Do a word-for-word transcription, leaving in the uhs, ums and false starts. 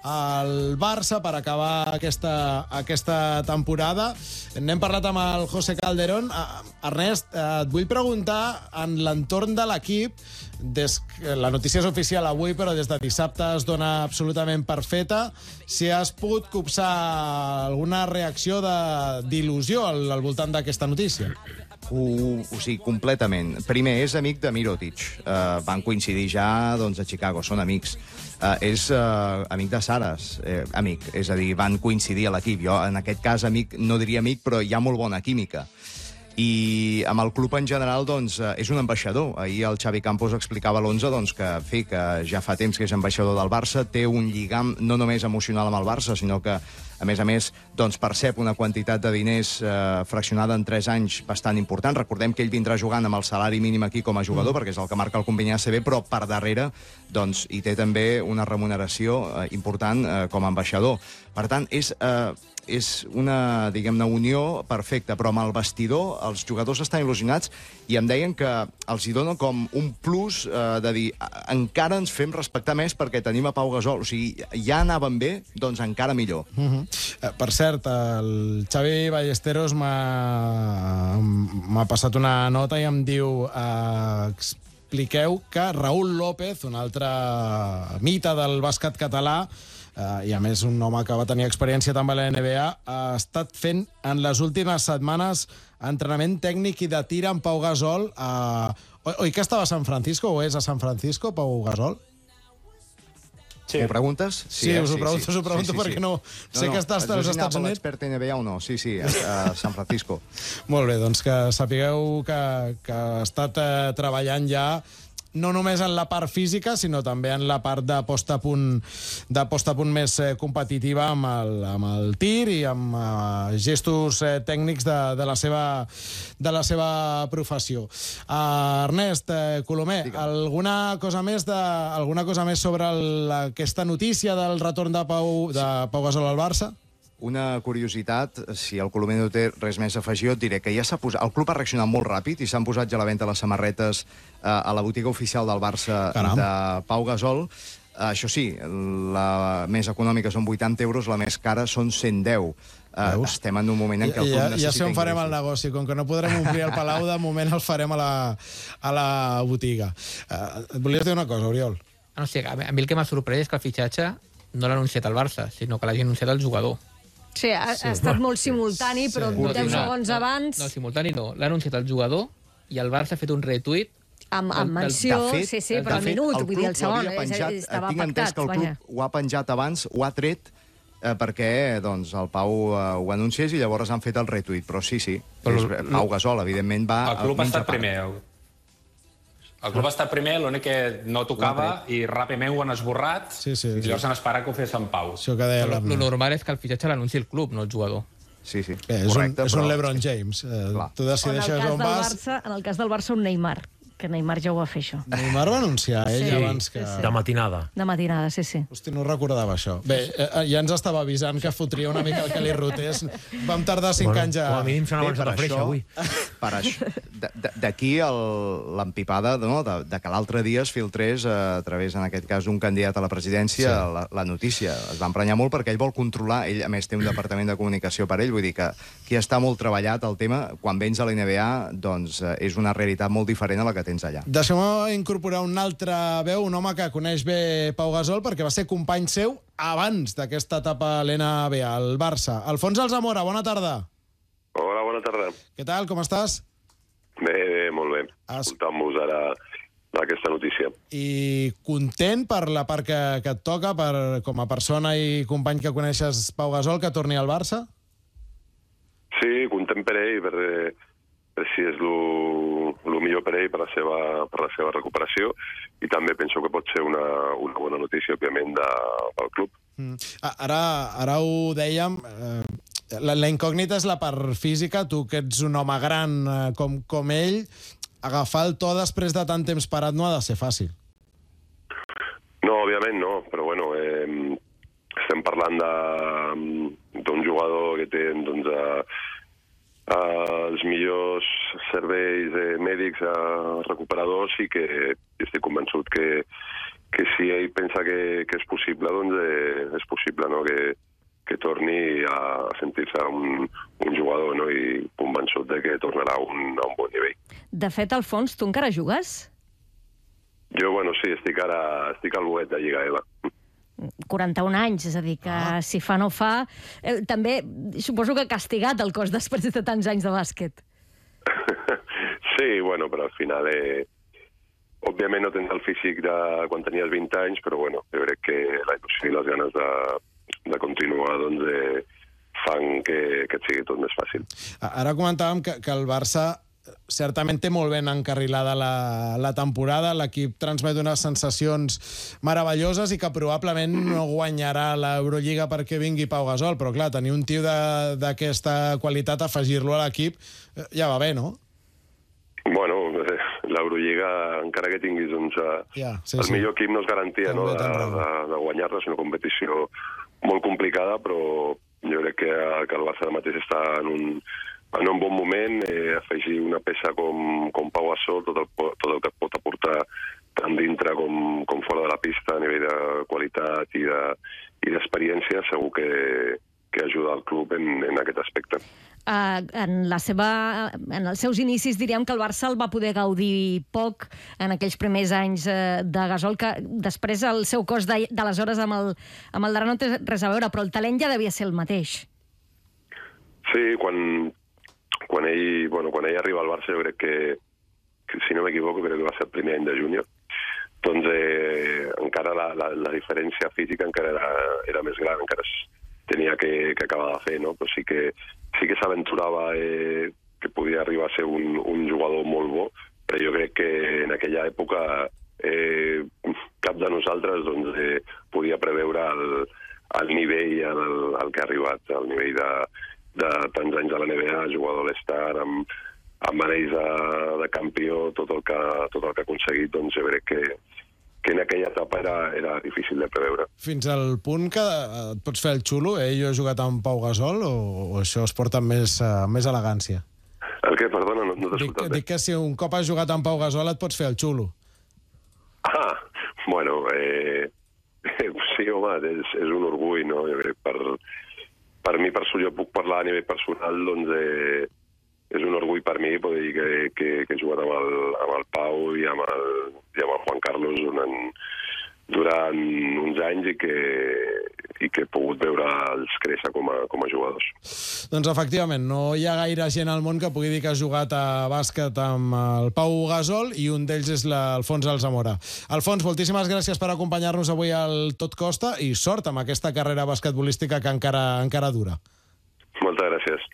al Barça per acabar aquesta, aquesta temporada. N'hem parlat amb el José Calderón. Ernest, et vull preguntar en l'entorn de l'equip, des que la notícia és oficial avui, però des de dissabte es dona absolutament per feta, si has pogut copsar alguna reacció d'il·lusió al, al voltant d'aquesta notícia. Uh, o sigui, completament. Primer, és amic de Mirotic. Uh, van coincidir ja doncs, a Chicago, són amics. Uh, és uh, amic de Saras, eh, amic. És a dir, van coincidir a l'equip. Jo, en aquest cas, amic, no diria amic, però hi ha molt bona química. I amb el club en general, doncs, és un ambaixador. Ahir el Xavi Campos explicava a l'onze doncs, que, en fi, que ja fa temps que és ambaixador del Barça, té un lligam no només emocional amb el Barça, sinó que, a més a més, doncs, percep una quantitat de diners eh, fraccionada en tres anys bastant important. Recordem que ell vindrà jugant amb el salari mínim aquí com a jugador, mm. perquè és el que marca el conveni A C B, però per darrere doncs, hi té també una remuneració eh, important eh, com a ambaixador. Per tant, és... Eh, és una, diguem-ne, unió perfecta, però amb el vestidor els jugadors estan il·lusionats i em deien que els hi dona com un plus eh, de dir encara ens fem respectar més perquè tenim a Pau Gasol. O sigui, ja anaven bé, doncs encara millor. Uh-huh. eh, per cert, el Xavi Ballesteros m'ha passat una nota i em diu... Eh, expliqueu que Raúl López, un altre mite del bàsquet català, Uh, i a més un home que va tenir experiència també a la N B A, ha estat fent en les últimes setmanes entrenament tècnic i de tir amb Pau Gasol. Uh, oi que estava a San Francisco o és a San Francisco, Pau Gasol? Sí. M'ho preguntes? Sí, sí, eh? us ho pregunto, sí, sí. us ho pregunto sí, sí, perquè no, no sé no, que estàs als Estats Units. L'expert N B A o no? Sí, sí, a, a San Francisco. Molt bé, doncs que sapigueu que, que ha estat eh, treballant ja no només en la part física, sinó també en la part de posta a punt, de posta a punt més eh, competitiva amb el, amb el tir i amb eh, gestos eh, tècnics de, de, la seva, de la seva professió. Uh, Ernest, eh, Colomer, alguna cosa més de, alguna cosa més sobre el, aquesta notícia del retorn de Pau, de Pau Gasol al Barça? Una curiositat, si el Colomer no té res més a afegir, et diré que ja s'ha posat... El club ha reaccionat molt ràpid i s'han posat ja a la venda les samarretes eh, a la botiga oficial del Barça. Caram. De Pau Gasol. Uh, això sí, la més econòmica són vuitanta euros, la més cara són cent deu. Uh, estem en un moment en què el club ja, necessita... Ja sé on farem el negoci. Com que no podrem omplir el Palau, de moment el farem a la, a la botiga. Uh, et volies dir una cosa, Oriol? No sé, a mi el que m'ha sorprès és que el fitxatge no l'ha anunciat el Barça, sinó que l'hagi anunciat el jugador. Sí, ha, sí. ha estat molt simultani, però sí. deu segons no, abans... No, simultani no. L'ha anunciat el jugador i el Barça ha fet un retuit amb, amb menció, fet, sí, sí, però al minut, vull dir, el segon, penjat, estava tinc entès pactat. Que el club vaja. Ho ha penjat abans, ho ha tret, eh, perquè doncs, el Pau eh, ho anunciés i llavors han fet el retuit. Però sí, sí, però, és, Pau Gasol, evidentment, va... El club ha estat primer. El club ha estat primer, l'únic que no tocava i ràpidament ho han esborrat sí, sí, i llavors sí. han esperat que ho fes en Pau. Sí, el normal és que el fitxatge l'anuncia el club, no el jugador. Sí, sí. Bé, és, correcte, un, és però... un LeBron James. Eh, tu decideixes on vas... Barça, en el cas del Barça, un Neymar, que Neymar ja ho va fer, això. Neymar va anunciar, ell, sí, abans que... Sí, sí. De matinada. De matinada, sí, sí. Hosti, no recordava això. Bé, eh, ja ens estava avisant que fotria una mica el que li rotés. Vam tardar cinc bueno, anys a... Com a mínim s'han avançat a freixa, avui. Per això, d'aquí l'empipada no, de, de que l'altre dia es filtrés a través, en aquest cas, d'un candidat a la presidència, sí. la, la notícia. Es va emprenyar molt perquè ell vol controlar, ell a més té un departament de comunicació per ell, vull dir que aquí està molt treballat el tema. Quan vens a la N B A, doncs és una realitat molt diferent a la que tens allà. Deixem incorporar un altre veu, un home que coneix bé Pau Gasol perquè va ser company seu abans d'aquesta etapa a l'N B A, al Barça. Alfons Alzamora, bona tarda. Hola, bona tarda. Què tal, com estàs? Bé, bé, molt bé. Has... Escoltant-vos ara aquesta notícia. I content per la part que, que et toca, per, com a persona i company que coneixes Pau Gasol, que torni al Barça? Sí, content per ell, per, per si és el millor per ell, per la seva, per la seva recuperació, i també penso que pot ser una, una bona notícia, òbviament, de, del club. Mm. Ara, ara ho dèiem, eh, la, la incògnita és la part física. Tu, que ets un home gran eh, com, com ell, agafar el to després de tant temps parat no ha de ser fàcil. No, òbviament no, però bueno, eh, estem parlant d'un jugador que té doncs, eh, Uh, els millors serveis eh, mèdics uh, recuperadors i que estic convençut que, que si ell pensa que, que és possible, doncs eh, és possible, no?, que, que torni a sentir-se un, un jugador, no?, i convençut de que tornarà a un, a un bon nivell. De fet, Alfons, tu encara jugues? Jo, bueno, sí, estic ara estic al boet de Lliga E L A. quaranta-un anys, és a dir, que ah. si fa no fa... Eh, també suposo que ha castigat el cos després de tants anys de bàsquet. Sí, bueno, però al final... Eh, òbviament no tens el físic de quan tenies vint anys, però bueno, jo crec que la il·lusió i les ganes de, de continuar doncs, eh, fan que, que et sigui tot més fàcil. Ara comentàvem que, que el Barça certament té molt ben encarrilada la, la temporada, l'equip transmet unes sensacions meravelloses i que probablement no guanyarà l'Eurolliga perquè vingui Pau Gasol, però clar, tenir un tio d'aquesta qualitat, afegir-lo a l'equip, ja va bé, no? Bueno, l'Eurolliga, encara que tinguis doncs, ja, sí, el sí. millor equip no és garantia, no, de, de, de guanyar-la, és una competició molt complicada, però jo crec que, que el Barça mateix està en un en un bon moment, eh, afegir una peça com, com Pau Gasol, tot el, tot el que et pot aportar tant dintre com, com fora de la pista a nivell de qualitat i d'experiència, de, segur que, que ajuda el club en, en aquest aspecte. Uh, en, la seva, en els seus inicis diríem que el Barça el va poder gaudir poc en aquells primers anys uh, de Gasol, que després el seu cos d'aleshores amb el, amb el d'ara no té res a veure, però el talent ja devia ser el mateix. Sí, quan... Quan ell, bueno, quan ell arriba al Barça, jo crec que, que si no m'equivoco, crec que va ser el primer any de júnior, doncs eh, encara la, la, la diferència física encara era, era més gran, encara es tenia que, que acabar de fer, no? Però sí que, sí que s'aventurava eh, que podia arribar a ser un, un jugador molt bo, però jo crec que en aquella època eh, cap de nosaltres doncs, eh, podia preveure el, el nivell al, al que ha arribat, el nivell de de tants anys a la N B A, jugador a l'Star, amb, amb anells de, de campió, tot el que, tot el que ha aconseguit, doncs jo crec que, que en aquella etapa era, era difícil de preveure. Fins al punt que et pots fer el xulo, eh? Jo he jugat amb Pau Gasol, o, o això es porta amb més, uh, més elegància? El què? Perdona, no, no t'he escoltat bé. Dic que si un cop has jugat amb Pau Gasol et pots fer el xulo. Ah, bueno, eh, sí, home, és, és un orgull, no? Jo crec per... Per mi, per jo puc parlar a nivell personal, doncs eh, és un orgull per mi poder dir que, que, que he jugat amb el, amb el Pau i amb el, i amb el Juan Carlos durant, durant uns anys i que, i que he pogut veure'ls créixer com a, com a jugadors. Doncs efectivament, no hi ha gaire gent al món que pugui dir que ha jugat a bàsquet amb el Pau Gasol i un d'ells és l'Alfons Alzamora. Alfons, moltíssimes gràcies per acompanyar-nos avui al Tot Costa i sort amb aquesta carrera basquetbolística que encara, encara dura. Moltes gràcies.